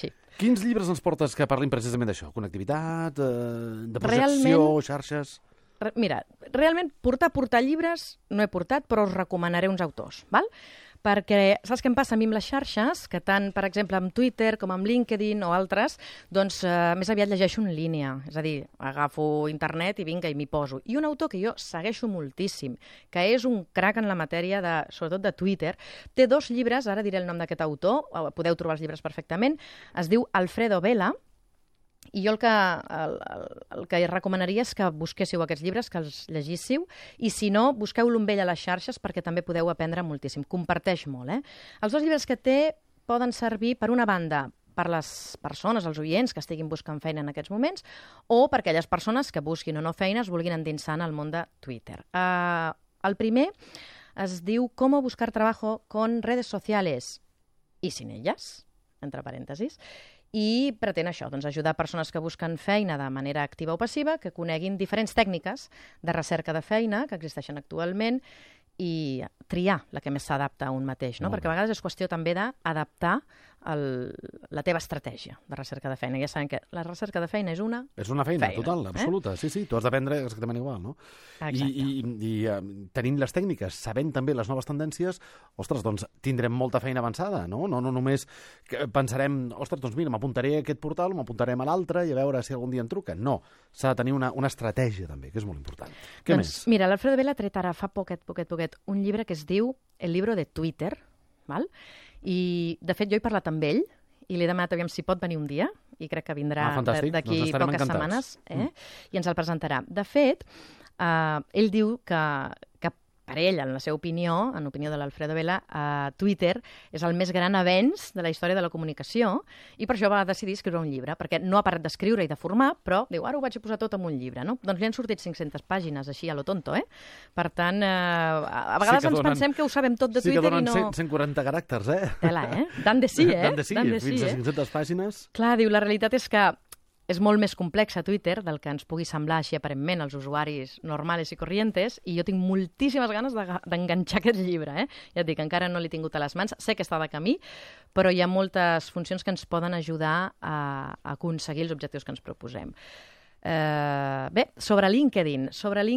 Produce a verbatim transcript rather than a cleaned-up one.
Sí. Quins llibres ens portes que parlin precisament d'això? Connectivitat, eh, de projecció, Realment... xarxes... Re- Mira, realment portar portar llibres no he portat, però us recomanaré uns autors, val? Perquè saps què em passa a mi amb les xarxes? Que tant, per exemple, amb Twitter com amb LinkedIn o altres, doncs eh, més aviat llegeixo en línia. És a dir, agafo internet i vinga, i m'hi poso. I un autor que jo segueixo moltíssim, que és un crac en la matèria, de, sobretot de Twitter, té dos llibres, ara diré el nom d'aquest autor, podeu trobar els llibres perfectament, es diu Alfredo Vela, i jo el que, el, el, el que recomanaria és que busquéssiu aquests llibres, que els llegíssiu, i si no, busqueu-lo amb ell a les xarxes perquè també podeu aprendre moltíssim. Comparteix molt, eh? Els dos llibres que té poden servir, per una banda, per les persones, els oients que estiguin buscant feina en aquests moments, o per aquelles persones que busquin o no feina es vulguin endinsar en el món de Twitter. Uh, el primer es diu Cómo buscar trabajo con redes sociales y sin ellas, entre parèntesis, i pretén això, doncs, ajudar persones que busquen feina de manera activa o passiva, que coneguin diferents tècniques de recerca de feina que existeixen actualment i triar la que més s'adapta a un mateix, no? Perquè a vegades és qüestió també d'adaptar el, la teva estratègia de recerca de feina. Ja sabem que la recerca de feina és una És una feina, feina total, absoluta. Eh? Sí, sí, tu has d'aprendre exactament igual, no? Exacte. I, i, i uh, tenint les tècniques, sabent també les noves tendències, ostres, doncs tindrem molta feina avançada, no? No, no només que pensarem, ostres, doncs mira, m'apuntaré a aquest portal, m'apuntarem a l'altre i a veure si algun dia em truquen. No, s'ha de tenir una, una estratègia també, que és molt important. Què doncs, més? Mira, l'Alfredo Vela ha tret ara fa poquet, poquet, poquet, un llibre que es diu El libro de Twitter, val? I de fet jo he parlat amb ell i li he demanat aviam si pot venir un dia, i crec que vindrà ah, d'aquí doncs poques encantats. setmanes, eh? Mm. I ens el presentarà. De fet, eh, ell diu que, que per ell, en la seva opinió, en opinió de l'Alfredo Vela, eh, Twitter és el més gran avenç de la història de la comunicació i per això va decidir escriure un llibre, perquè no ha parat d'escriure i de formar, però diu, ara ho vaig a posar tot en un llibre, no? Doncs li han sortit cinc-centes pàgines, així a lo tonto, eh? Per tant, eh, a vegades sí ens donen, pensem que ho sabem tot de sí Twitter i no... Sí que donen cent quaranta caràcters, eh? Tela, eh? Dan de sí, eh? Dan de sí, Dan de sí fins a cinc-centes eh? pàgines. Clar, diu, la realitat és que és molt més complex a Twitter del que ens pugui semblar així aparentment als usuaris normals i corrientes, i jo tinc moltíssimes ganes d'enganxar aquest llibre. Eh? Ja et dic, encara no l'he tingut a les mans, sé que està de camí, però hi ha moltes funcions que ens poden ajudar a, a aconseguir els objectius que ens proposem. Uh, bé, sobre LinkedIn. Sobre LinkedIn